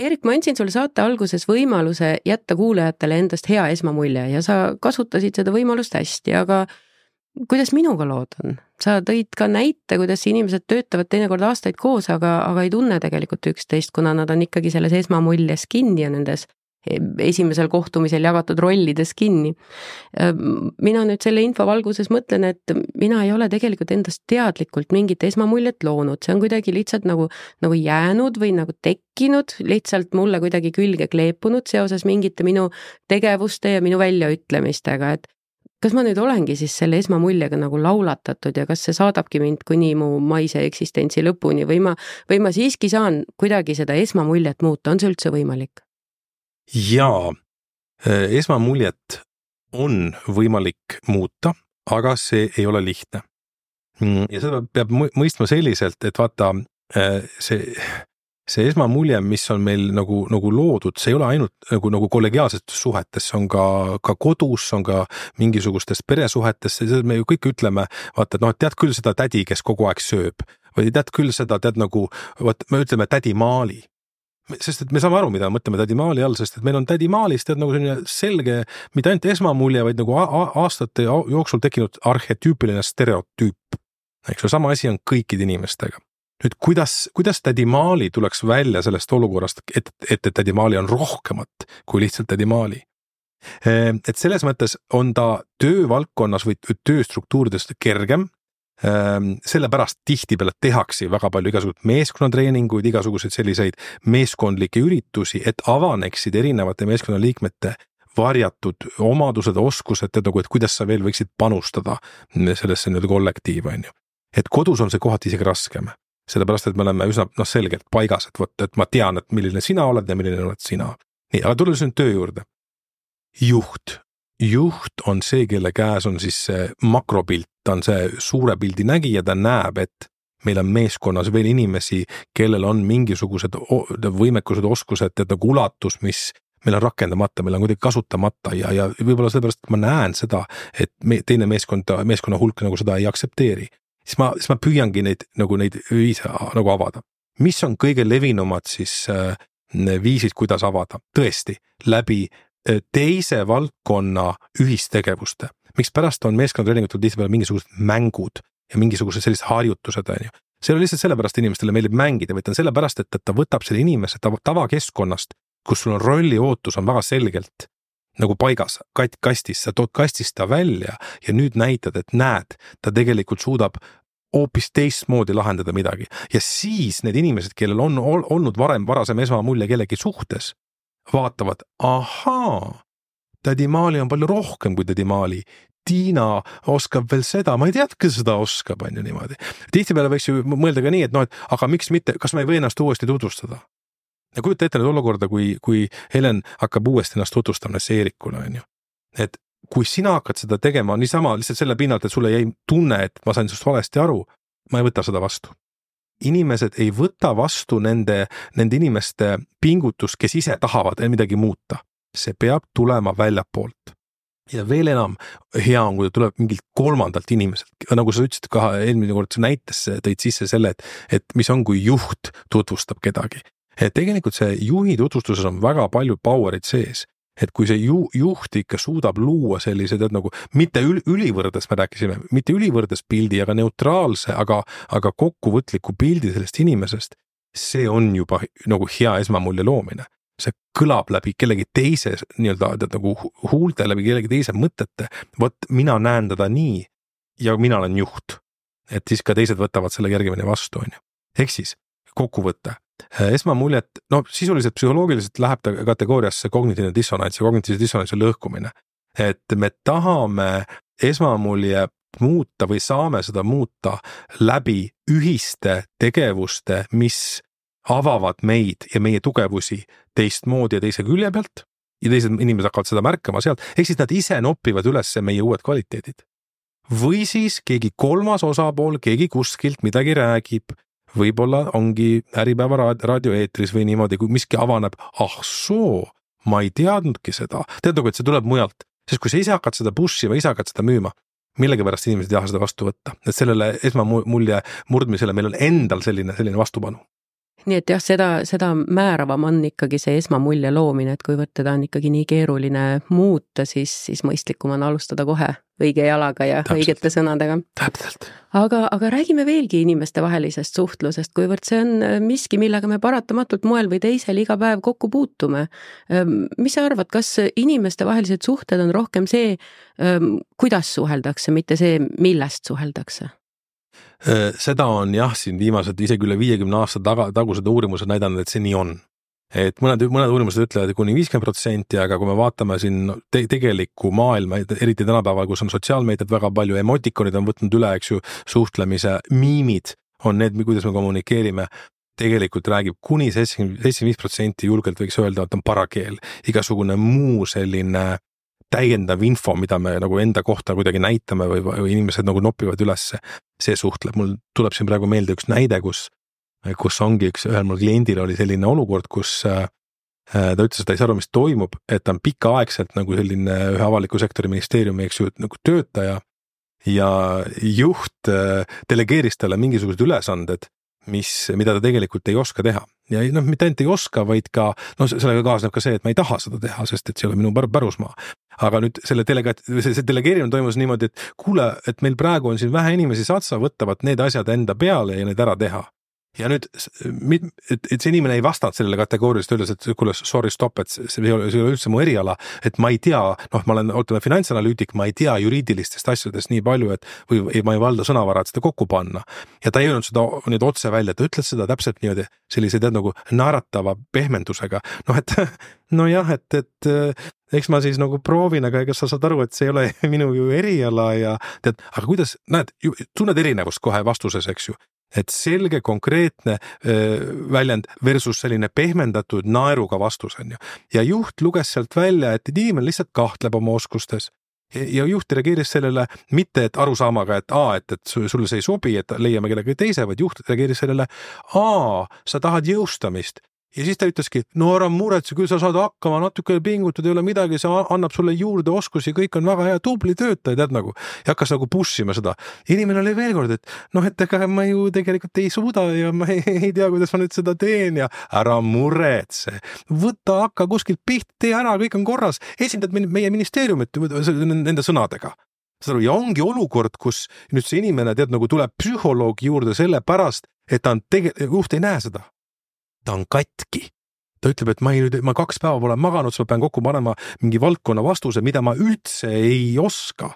Eerik, ma andsin sulle saate alguses võimaluse jätta kuulajatele endast hea esmamulje ja sa kasutasid seda võimalust hästi, aga kuidas minuga lood on? Sa tõid ka näite, kuidas inimesed töötavad teinekord aastaid koos, aga ei tunne tegelikult üksteist, kuna nad on ikkagi selles esmamuljes kinni ja nendes esimesel kohtumisel jagatud rollides kinni. Mina nüüd selle info valguses mõtlen, et mina ei ole tegelikult endast teadlikult mingit esmamuljet loonud. See on kuidagi lihtsalt nagu jäänud või nagu tekkinud, lihtsalt mulle kuidagi külge kleepunud seoses mingite minu tegevuste ja minu väljaütlemistega, et kas ma nüüd olengi siis selle esmamuljega nagu laulatatud ja kas see saadabki mind kuni mu maise eksistentsi lõpuni või ma siiski saan kuidagi seda esmamuljet muuta, on see üldse võimalik? Jaa, esmamuljet on võimalik muuta, aga see ei ole lihtne. Ja seda peab mõistma selliselt, et vaata, see esmamulje, mis on meil nagu loodud, see ei ole ainult nagu kollegiaalsetes suhetes, see on ka kodus, see on ka mingisugustes peresuhetes, me ju kõik ütleme, vaata, et tead küll seda tädi, kes kogu aeg sööb, või tead küll seda, me ütleme tädi Maali. Sest et me saame aru, mida mõtleme tädi Maali all, sest et meil on tädi Maalist nagu selline selge, mitte ainult esmamulje, vaid nagu aastate jooksul tekkinud arhetüüpiline stereotüüp. Eks sama asi on kõikide inimestega. Nüüd, kuidas tädi Maali tuleks välja sellest olukorrast, et tädi Maali on rohkemat kui lihtsalt tädi Maali? Et selles mõttes on ta töövaldkonnas või tööstruktuuridest kergem, sellepärast tihtipeale tehakse väga palju igasuguseid meeskonnatreeninguid, igasuguseid selliseid meeskondlikke üritusi, et avaneksid erinevate meeskonnaliikmete varjatud omadused, oskused, et kuidas sa veel võiksid panustada sellesse kollektiivi. Et kodus on see kohati isegi raskem. Sellepärast, et me oleme üsna selgelt paigas, et ma tean, et milline sina oled ja milline oled sina. Nii, aga tulles nüüd töö juurde. Juht on see, kelle käes on siis see makropilt, ta on see suure pildi nägija, ta näeb, et meil on meeskonnas veel inimesi, kellel on mingisugused võimekused, oskused, nagu ulatus, mis meil on rakendamata, meil on kuidagi kasutamata ja võib-olla sellepärast, et ma näen seda, et teine meeskonna hulk nagu seda ei aksepteeri. Siis ma püüangi neid viise nagu avada. Mis on kõige levinumad siis viisid, kuidas avada? Tõesti, läbi teise valdkonna ühistegevuste. Miks pärast on meeskonnatreenigatul tihtipeale mingisugused mängud ja mingisugused sellised harjutused? See on lihtsalt sellepärast inimestele meeldib mängida, või on sellepärast, et ta võtab selle inimese tavakeskkonnast, kus sul on rolli ootus on väga selgelt nagu paigas, kastis, sa tood kastist ta välja ja nüüd näitad, et näed, ta tegelikult suudab hoopis teistmoodi lahendada midagi. Ja siis need inimesed, kellel on olnud varasem esmamulje kellegi suhtes, vaatavad, ahaa, tädi Maali on palju rohkem kui tädi Maali. Tiina oskab veel seda, ma ei tea, kes seda oskab, on ju niimoodi. Tihtipeale võiks ju mõelda ka nii, et et aga miks mitte, kas ma ei või ennast uuesti tutvustada? Ja kujuta ette nüüd olukorda, kui Helen hakkab uuesti ennast tutvustama Eerikule, on ju. Et kui sina hakkad seda tegema niisama lihtsalt selle pinnalt, et sulle jäi tunne, et ma sain sust valesti aru, ma ei võta seda vastu. Inimesed ei võta vastu nende inimeste pingutust, kes ise tahavad midagi muuta. See peab tulema väljapoolt. Ja veel enam hea on, kui ta tuleb mingilt kolmandalt inimeselt. Nagu sa ütlesid ka eelmine kord, sa näites tõid sisse selle, et mis on, kui juht tutvustab kedagi. Et tegelikult see juhi tutvustuses on väga palju powerit sees. Et kui see juht ikka suudab luua sellised, et nagu mitte ülivõrdes, me rääkisime, mitte ülivõrdes pildi, aga neutraalse, aga kokkuvõtliku pildi sellest inimesest, see on juba nagu hea esmamulje loomine. See kõlab läbi kellegi teise nii-öelda nagu huulte, läbi kellegi teise mõtete, vot mina näen teda nii ja mina olen juht. Et siis ka teised võtavad selle järgimine vastu, on ju. Ehk siis kokkuvõte. Esmamuljet, sisuliselt psühholoogiliselt läheb ta kategooriasse kognitiivne dissonants ja kognitiivse dissonantsi lõhkumine. Et me tahame esmamulje muuta või saame seda muuta läbi ühiste tegevuste, mis avavad meid ja meie tugevusi teistmoodi ja teise külje pealt ja teised inimesed hakkavad seda märkama sealt, ehk siis nad ise noppivad üles meie uued kvaliteedid. Või siis keegi kolmas osapool, keegi kuskilt midagi räägib, võib-olla ongi Äripäeva raadioeetris või niimoodi, kui miski avaneb, ma ei teadnudki seda. Teadagi, et see tuleb mujalt, sest kui sa ise hakkad seda pushima, ise hakkad seda müüma, millegipärast inimesed ei taha seda vastu võtta. Et sellele esmamulje murdmisele meil on endal selline vastupanu. Nii et jah, seda määravam on ikkagi see esmamulje loomine, et kuivõrd teda on ikkagi nii keeruline muuta, siis mõistlikum on alustada kohe õige jalaga ja õigete sõnadega. Täpselt. Aga räägime veelgi inimeste vahelisest suhtlusest, kuivõrd see on miski, millega me paratamatult moel või teisel iga päev kokku puutume. Mis sa arvad, kas inimeste vahelised suhted on rohkem see, kuidas suheldakse, mitte see, millest suheldakse? Seda on jah, siin viimased isegi üle 50 aasta tagused uurimused näidanud, et see nii on. Et mõned uurimused ütlevad kuni 50%, aga kui me vaatame siin tegelikku maailma, eriti tänapäeval, kus on sotsiaalmeediat väga palju, emotikonid on võtnud üle, eks ju, suhtlemise, miimid on need, kuidas me kommunikeerime, tegelikult räägib kuni 75% julgelt võiks öelda, et on parakeel. Igasugune muu selline täiendav info, mida me nagu enda kohta kuidagi näitame või inimesed nagu nopivad ülesse, see suhtleb. Mul tuleb siin praegu meelde üks näide, kus ongi ühel mul kliendil oli selline olukord, kus ta ütles, et ta ei saa aru, mis toimub, et ta on pikaaegselt nagu selline ühe avaliku sektori ministeeriumi, eks ju, nagu töötaja ja juht delegeeris talle mingisugused ülesanded, mida ta tegelikult ei oska teha. Ja mitte ainult ei oska, vaid ka, sellega kaasneb ka see, et ma ei taha seda teha, sest et see ei ole minu pärusmaa. Aga nüüd see delegeerimine toimus niimoodi, et kuule, et meil praegu on siin vähe inimesi satsa, võtavad need asjad enda peale ja need ära teha. Ja nüüd, et see inimene ei vastanud sellele kategooriast öeldes, et kuule, sorry, stop, et see ei ole üldse mu eriala, et ma ei tea, ma olen finantsanalüütik, ma ei tea juriidilistest asjadest nii palju, või ma ei valda sõnavara, et seda kokku panna. Ja ta ei öelnud seda nüüd otse välja, ta ütles seda täpselt niimoodi, sellise nagu naeratava pehmendusega. Et eks ma siis nagu proovin, aga ega sa saad aru, et see ei ole minu ju eriala ja tead, aga kuidas, tunned erinevust kohe vastuses, eks ju. Et selge, konkreetne väljend versus selline pehmendatud naeruga vastus on ju. Ja juht luges sealt välja, et inimene lihtsalt kahtleb oma oskustes. Ja juht reageeris sellele mitte, et arusaamaga, et sulle see ei sobi, et leiame kellegi teise, vaid juht reageeris sellele, sa tahad jõustamist. Ja siis ta ütleski, ära muretse, küll sa saad hakkama, natuke pingutud, ei ole midagi, see annab sulle juurde oskusi, kõik on väga hea, tubli töötaja, tead nagu. Ja hakkas nagu pushima seda. Inimene oli veel kord, et ega ma ju tegelikult ei suuda ja ma ei tea, kuidas ma nüüd seda teen ja ära muretse. Võta, hakka kuskilt piht, tee ära, kõik on korras. Esindad meie ministeeriumit nende sõnadega. Ja ongi olukord, kus nüüd see inimene tead nagu tuleb psühholoogi juurde selle pärast, et ta juht ei näe seda. Ta on katki. Ta ütleb, et ma 2 päeva pole maganud, ma pean kokku panema mingi valdkonna vastuse, mida ma üldse ei oska.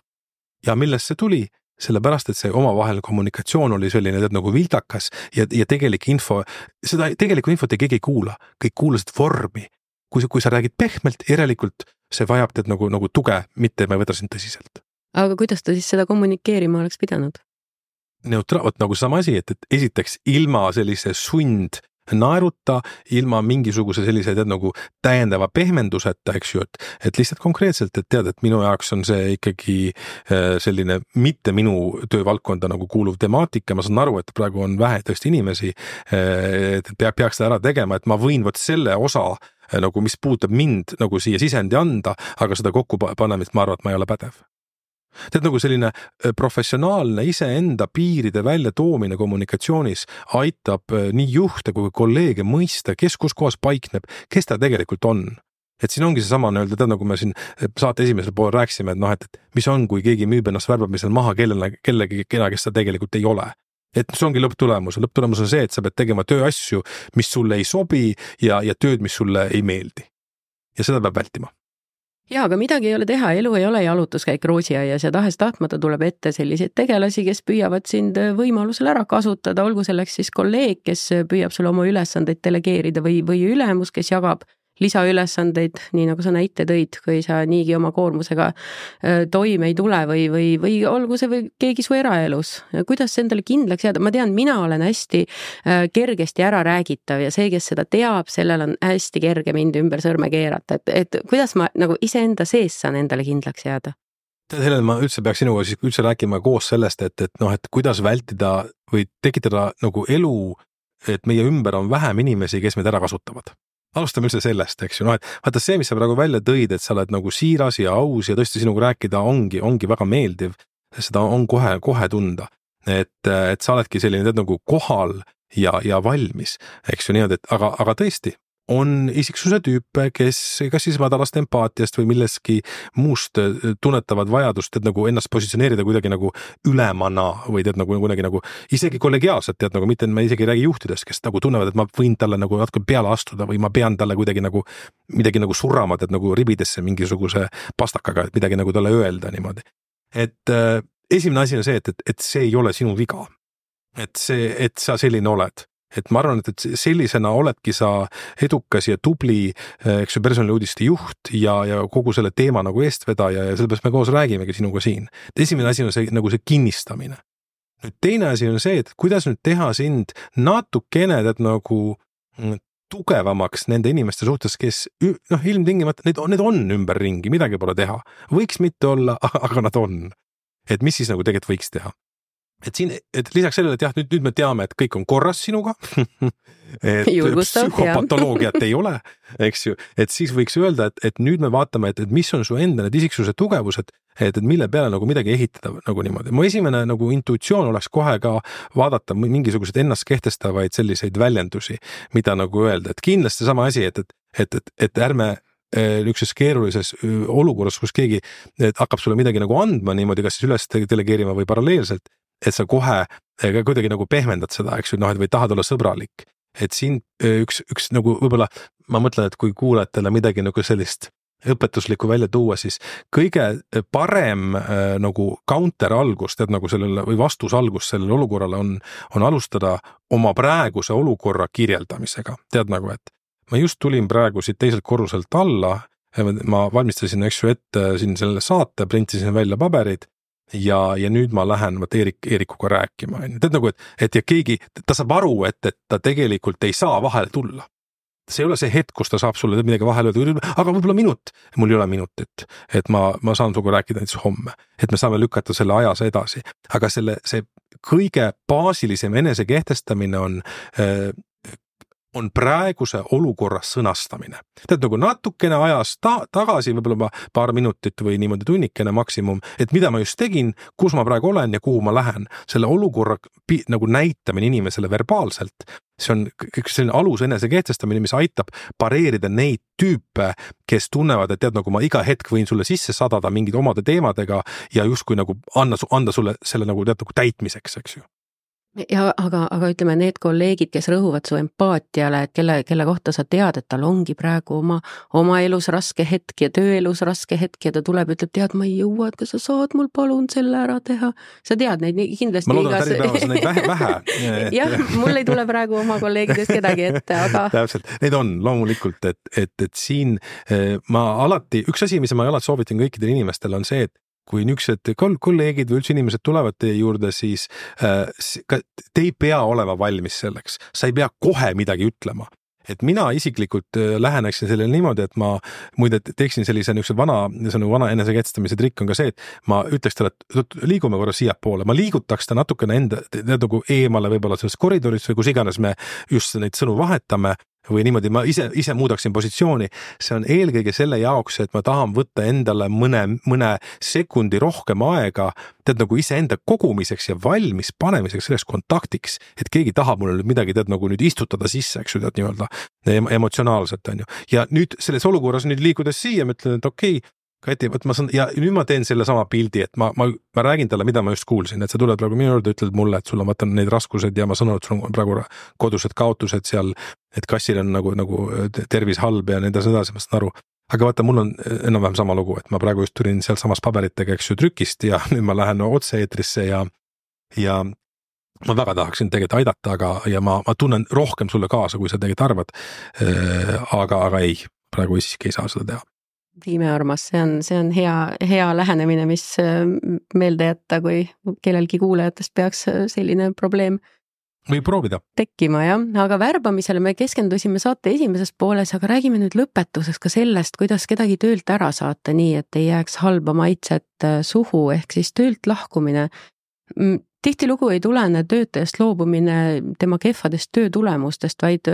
Ja millest see tuli? Sellepärast, et see omavaheline kommunikatsioon oli selline nagu vildakas ja tegelik info, seda tegelikku infot keegi ei kuula. Kõik kuulasid vormi. Kui sa räägid pehmelt, järelikult see vajab teed nagu tuge, mitte ma ei võta sind tõsiselt. aga kuidas ta siis seda kommunikeerima oleks pidanud? Vot nagu sama asi, et esiteks ilma sellise naeruta, ilma mingisuguse sellise nagu täiendava pehmenduseta, eks ju, et lihtsalt konkreetselt, et tead, et minu jaoks on see ikkagi selline mitte minu töövaldkonda nagu kuuluv temaatika, ma saan aru, et praegu on vähe tõesti inimesi, et peaks seda ära tegema, et ma võin vot selle osa nagu, mis puudutab mind nagu siia sisendi anda, aga seda kokkupanemist ma arvan, et ma ei ole pädev. Tead, nagu selline professionaalne iseenda piiride välja toomine kommunikatsioonis aitab nii juhte kui kolleege mõista, kes kus kohas paikneb, kes ta tegelikult on. Et siin ongi see sama öelda, tead, nagu me siin saate esimesel pool rääkisime, et et mis on, kui keegi müüb ennast värbamisel maha kellegi, kes ta tegelikult ei ole. Et see ongi lõpptulemus. Lõpptulemus on see, et sa pead tegema tööasju, mis sulle ei sobi ja tööd, mis sulle ei meeldi. Ja seda peab vältima. Jaa, aga midagi ei ole teha, elu ei ole jalutuskäik roosiaias ja tahes-tahtmata tuleb ette selliseid tegelasi, kes püüavad sind võimalusel ära kasutada, olgu selleks siis kolleeg, kes püüab sulle oma ülesandeid delegeerida või ülemus, kes jagab lisaülesandeid, nii nagu sa näite tõid, kui sa niigi oma koormusega toime ei tule või olgu see või keegi su eraelus. Kuidas endale kindlaks jääda? Ma tean, mina olen hästi kergesti ära räägitav ja see, kes seda teab, sellel on hästi kerge mind ümber sõrme keerata. Et kuidas ma nagu iseenda sees saan endale kindlaks jääda? Helen, ma üldse peaks sinuga siis üldse rääkima koos sellest, et kuidas vältida või tekitada nagu elu, et meie ümber on vähem inimesi, kes meid ära kasutavad. Alustame üldse sellest, eks ju, et vaata see, mis sa praegu välja tõid, et sa oled nagu siiras ja aus ja tõesti sinuga rääkida ongi väga meeldiv, seda on kohe tunda, et sa oledki selline nagu kohal ja valmis, eks ju niimoodi, et aga tõesti, on isiksuse tüüpe, kes kas siis madalast empaatiast või milleski muust tunnetavad vajadust, et nagu ennast positsioneerida kuidagi nagu ülemana või tead nagu kuidagi nagu isegi kollegiaalselt, tead nagu mitte, ma isegi ei räägi juhtidest, kes nagu tunnevad, et ma võin talle nagu natuke peale astuda või ma pean talle kuidagi nagu midagi nagu surama, tead nagu ribidesse mingisuguse pastakaga, et midagi nagu talle öelda niimoodi. Et esimene asi on see, et see ei ole sinu viga. Et sa selline oled. Et ma arvan, et sellisena oledki sa edukas ja tubli, eks ju, personaliuudiste juht ja kogu selle teema nagu eestvedaja ja sellepärast me koos räägimegi sinuga siin. Esimene asi on see, nagu see kinnistamine. Nüüd teine asi on see, et kuidas nüüd teha sind natukene nagu tugevamaks nende inimeste suhtes, kes ilmtingimata, need on ümberringi, midagi pole teha. Võiks mitte olla, aga nad on. Et mis siis nagu tegelikult võiks teha? Et lisaks sellele, et jah, nüüd me teame, et kõik on korras sinuga, et psühhopatoloogiat ei ole, eks ju, et siis võiks öelda, et nüüd me vaatame, et mis on su enda need isiksuse tugevused, et mille peale nagu midagi ehitada nagu niimoodi. Mu esimene nagu intuitsioon oleks kohe ka vaadata mingisuguseid ennast kehtestavaid selliseid väljendusi, mida nagu öelda, et kindlasti sama asi, et ärme niisuguses keerulises olukorras, kus keegi hakkab sulle midagi nagu andma niimoodi, kas siis üles delegeerima või paralleelselt, et sa kohe kuidagi nagu pehmendad seda, eks ju, või tahad olla sõbralik. Et siin üks nagu võib-olla, ma mõtlen, et kui kuulajatele midagi nagu sellist õpetuslikku välja tuua, siis kõige parem nagu counter algus, tead nagu sellele või vastus algus sellele olukorrale on alustada oma praeguse olukorra kirjeldamisega. Tead nagu, et ma just tulin praegu siit teiselt korruselt alla, ma valmistasin, eks ju, ette siin selle saate, printisin välja paberid, ja nüüd ma lähen Eerikuga rääkima. Tead nagu, et ja keegi, ta saab aru, et ta tegelikult ei saa vahele tulla. See ei ole see hetk, kus ta saab sulle midagi vahele öelda, aga võib-olla minut. Mul ei ole minutit, et ma saan suga rääkida näiteks homme, et me saame lükata selle ajas edasi. Aga see kõige baasilisem enese kehtestamine on praeguse olukorra sõnastamine. Tead nagu natukene ajas tagasi, võib-olla paar minutit või niimoodi tunnikene maksimum, et mida ma just tegin, kus ma praegu olen ja kuhu ma lähen. Selle olukorra nagu näitamine inimesele verbaalselt, see on selline alus enese kehtestamine, mis aitab pareerida neid tüüpe, kes tunnevad, et tead nagu ma iga hetk võin sulle sisse sadada mingid omade teemadega ja justkui nagu anda sulle selle nagu tead nagu täitmiseks, eks ju. Ja, aga ütleme, need kolleegid, kes rõhuvad su empaatiale, et kelle kohta sa tead, et tal ongi praegu oma elus raske hetk ja tööelus raske hetk ja ta tuleb, ütleb, tead, ma ei jõua, et kas sa saad mul palun selle ära teha. Sa tead neid kindlasti. Ma loodan, et päevas on neid vähe. Jah, mul ei tule praegu oma kolleegidest kedagi ette, aga... Täpselt, neid on loomulikult, et siin ma alati, üks asi, mis ma alati soovitan kõikidele inimestele on see, et kui niisugused kolleegid või üldse inimesed tulevad teie juurde, siis te ei pea olema valmis selleks. Sa ei pea kohe midagi ütlema. Et mina isiklikult läheneksin sellele niimoodi, et ma muide teeksin sellise vana eneseketstamise trikk on ka see, et ma ütleks talle, et liigume korra siia poole, ma liigutaks ta natukene enda nagu eemale võib-olla sellest koridorist või kus iganes me just neid sõnu vahetame või niimoodi ma ise muudaksin positsiooni. See on eelkõige selle jaoks, et ma tahan võtta endale mõne sekundi rohkem aega, nagu iseenda kogumiseks ja valmis panemiseks selleks kontaktiks, et keegi tahab mulle midagi nagu nüüd istutada sisse, eks ju, nii-öelda emotsionaalselt on ju. Ja nüüd selles olukorras nüüd liikudes siia, ma ütlen, et okei, Kati, ja nüüd ma teen selle sama pildi, et ma räägin talle, mida ma just kuulsin, et sa tuled praegu minu juurde, ütled mulle, et sul on neid raskused ja ma saan aru, et sul on praegu kodused kaotused seal, et kassil on nagu tervis halb ja nende sedasi, ma saan aru. Aga vaata, mul on enam-vähem sama lugu, et ma praegu just tulin seal samas paberitega, eks ju, trükist ja nüüd ma lähen otse eetrisse ja ma väga tahaksin tegelikult aidata, ja ma tunnen rohkem sulle kaasa, kui sa tegelikult arvad, aga ei, praegu siiski ei saa seda teha. Viime armas, see on hea lähenemine, mis meelde jätta, kui kellelgi kuulajatest peaks selline probleem või proovida tekkima, jah. Aga värbamisele me keskendusime saate esimeses pooles, aga räägime nüüd lõpetuseks ka sellest, kuidas kedagi töölt ära saata nii, et ei jääks halba maitset suhu, ehk siis töölt lahkumine. Tihtilugu ei tulene töötajast loobumine tema kehvadest töötulemustest, vaid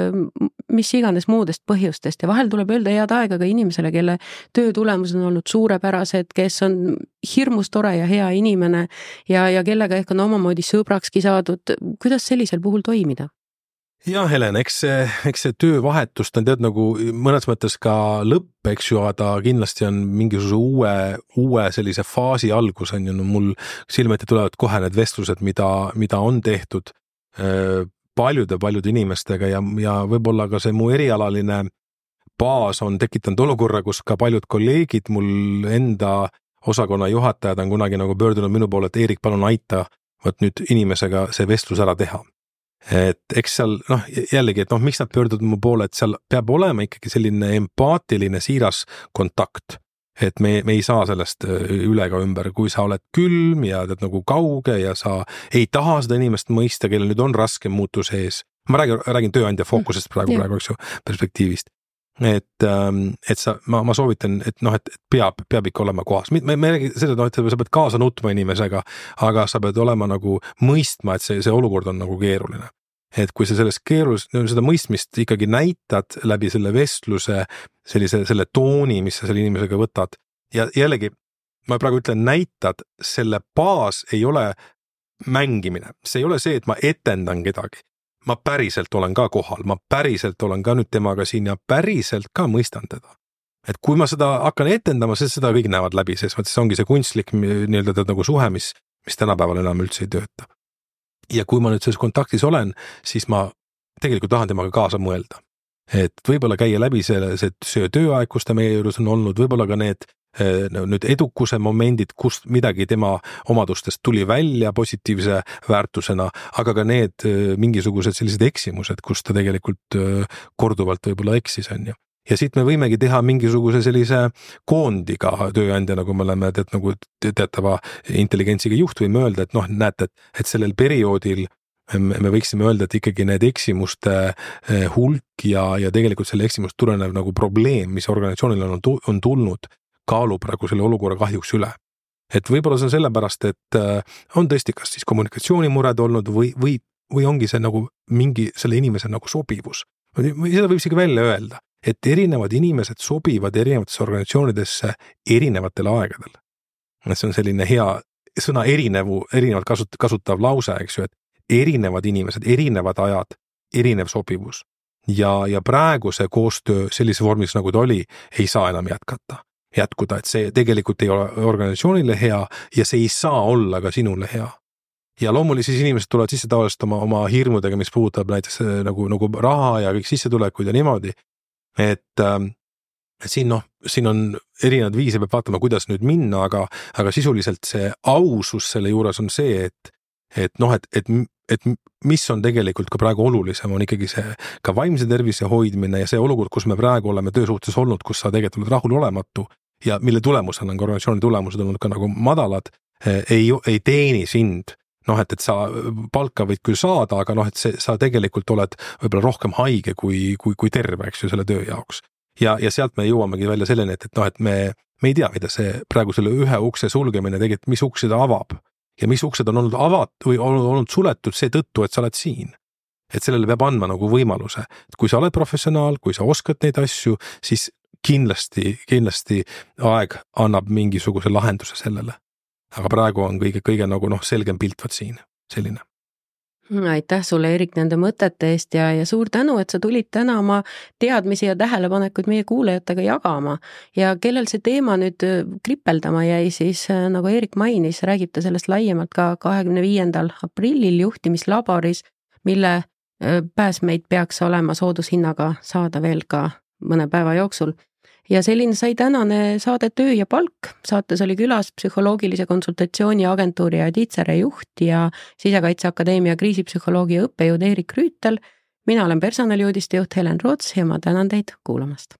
mis iganes muudest põhjustest ja vahel tuleb öelda head aega ka inimesele, kelle töötulemused on olnud suurepärased, kes on hirmus tore ja hea inimene ja kellega ehk on omamoodi sõbrakski saadud. Kuidas sellisel puhul toimida? Ja Helen, eks see töövahetust on nagu mõnes mõttes ka lõpp, eks ju, aga kindlasti on mingisuguse uue sellise faasi algus on ju, mul silmeti tulevad kohe need vestlused, mida on tehtud paljude inimestega ja võib-olla ka see mu erialaline baas on tekitanud olukorra, kus ka paljud kolleegid, mul enda osakonna juhatajad on kunagi nagu pöördunud minu poole, et Eerik, palun aita, võt nüüd inimesega see vestlus ära teha. Et eks seal, jällegi, et miks nad pöörduvad mu poole, et seal peab olema ikkagi selline empaatiline siiras kontakt, et me ei saa sellest üle ka ümber, kui sa oled külm ja nagu kauge ja sa ei taha seda inimest mõista, kellel nüüd on raske muutus ees. Ma räägin tööandja fookusest praegu, eks ju, perspektiivist. Et ma soovitan, et peab ikka olema kohas. Me räägime seda, et sa pead kaasa nutma inimesega, aga sa pead olema nagu mõistma, et see olukord on nagu keeruline. Et kui sa seda mõistmist ikkagi näitad läbi selle vestluse, selle tooni, mis sa selle inimesega võtad ja jällegi, ma praegu ütlen, näitad, selle baas ei ole mängimine. See ei ole see, et ma etendan kedagi. Ma päriselt olen ka kohal, ma päriselt olen ka nüüd temaga siin ja päriselt ka mõistan teda. Et kui ma seda hakkan etendama, siis seda kõik näevad läbi, sest see ongi see kunstlik nii-öelda nagu suhe, mis tänapäeval enam üldse ei tööta. Ja kui ma nüüd selles kontaktis olen, siis ma tegelikult tahan temaga kaasa mõelda. Et võib-olla käia läbi see tööaeg, kus ta meie juures on olnud, võib-olla ka need nüüd edukuse momendid, kust midagi tema omadustest tuli välja positiivse väärtusena, aga ka need mingisugused sellised eksimused, kus ta tegelikult korduvalt võib-olla eksis on ju. Ja siit me võimegi teha mingisuguse sellise koondiga tööandja, nagu me oleme nagu teatava intelligentsiga juht võime öelda, et näete, et sellel perioodil me võiksime öelda, et ikkagi need eksimuste hulk ja tegelikult selle eksimust tulenev nagu probleem, mis organisatsioonil on tulnud, kaalub praegu selle olukorra kahjuks üle. Et võib-olla see on sellepärast, et on tõesti kas siis kommunikatsioonimured olnud või ongi see nagu mingi selle inimese nagu sobivus. Seda võib isegi välja öelda, et erinevad inimesed sobivad erinevatesse organisatsioonidesse erinevatel aegadel. See on selline hea sõna erinevalt kasutav lause, eks ju, et erinevad inimesed, erinevad ajad, erinev sobivus. Ja praegu see koostöö sellise vormis, nagu ta oli, ei saa enam jätkuda, et see tegelikult ei ole organisatsioonile hea ja see ei saa olla ka sinule hea. Ja loomuliselt siis inimesed tulevad sisse tavaliselt oma hirmudega, mis puudutab näiteks nagu raha ja kõik sissetulekud ja niimoodi. Et siin on erinevad viise, peab vaatama, kuidas nüüd minna, aga sisuliselt see ausus selle juures on see, et mis on tegelikult ka praegu olulisem, on ikkagi see ka vaimse tervise hoidmine ja see olukord, kus me praegu oleme töösuhtes olnud, kus sa tegelikult oled rahulolematu ja mille tulemusel on organisatsiooni tulemused olnud ka nagu madalad, ei teeni sind. Noh, et sa palka võid küll saada, aga noh, et sa tegelikult oled võib-olla rohkem haige kui terve, eks ju, selle töö jaoks. Ja sealt me jõuamegi välja selleni, et noh, et me ei tea, mida see praegu selle ühe ukse sulgemine tegelikult, mis uksed avab ja mis uksed on olnud või olnud suletud seetõttu, et sa oled siin. Et sellele peab andma nagu võimaluse. Et kui sa oled professionaal, kui sa oskad neid asju, siis kindlasti aeg annab mingisuguse lahenduse sellele. Aga praegu on kõige nagu selgem pilt võt siin, selline. Aitäh sulle, Erik, nende mõtete eest ja suur tänu, et sa tulid täna oma teadmisi ja tähelepanekuid meie kuulajatega jagama. Ja kellel see teema nüüd kripeldama jäi, siis nagu Erik mainis, räägib ta sellest laiemalt ka 25. aprillil juhtimislaboris, mille pääsmeid peaks olema soodushinnaga saada veel ka mõne päeva jooksul. Ja selline sai tänane saade Töö ja palk. Saates oli külas psühholoogilise konsultatsiooni agentuuri Aditsere juht ja Sisekaitseakadeemia kriisipsühholoogia õppejõud Erik Rüütel. Mina olen personaliuudiste juht Helen Roots ja ma tänan teid kuulamast.